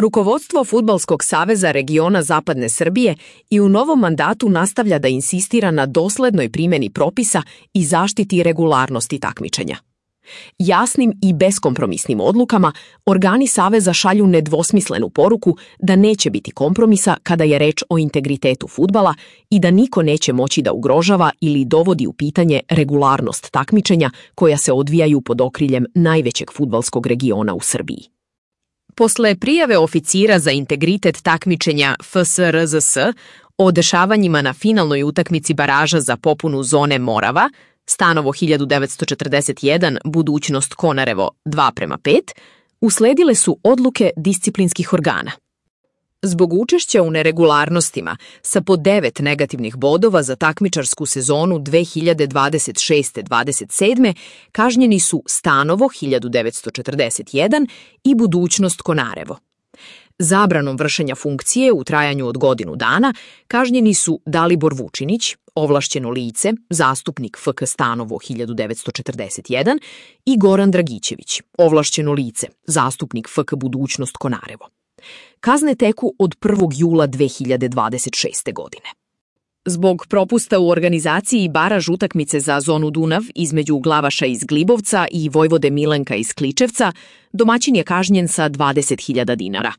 Rukovodstvo Fudbalskog saveza regiona Zapadne Srbije i u novom mandatu nastavlja da insistira na doslednoj primjeni propisa i zaštiti regularnosti takmičenja. Jasnim i beskompromisnim odlukama organi saveza šalju nedvosmislenu poruku da neće biti kompromisa kada je reč o integritetu fudbala i da niko neće moći da ugrožava ili dovodi u pitanje regularnost takmičenja koja se odvijaju pod okriljem najvećeg fudbalskog regiona u Srbiji. Posle prijave oficira za integritet takmičenja FSRZS o dešavanjima na finalnoj utakmici baraža za popunu zone Morava, Stanovo 1941, budućnost Konarevo 2:5, usledile su odluke disciplinskih organa. Zbog učešća u neregularnostima sa po 9 negativnih bodova za takmičarsku sezonu 2026-27 kažnjeni su Stanovo 1941 i budućnost Konarevo. Zabranom vršenja funkcije u trajanju od godinu dana kažnjeni su Dalibor Vučinić, ovlašćeno lice, zastupnik FK Stanovo 1941 i Goran Dragićević, ovlašćeno lice, zastupnik FK Budućnost Konarevo. Kazne teku od 1. jula 2026. godine. Zbog propusta u organizaciji baraž utakmice za zonu Dunav između Glavaša iz Glibovca i Vojvode Milenka iz Kličevca, domaćin je kažnjen sa 20.000 dinara.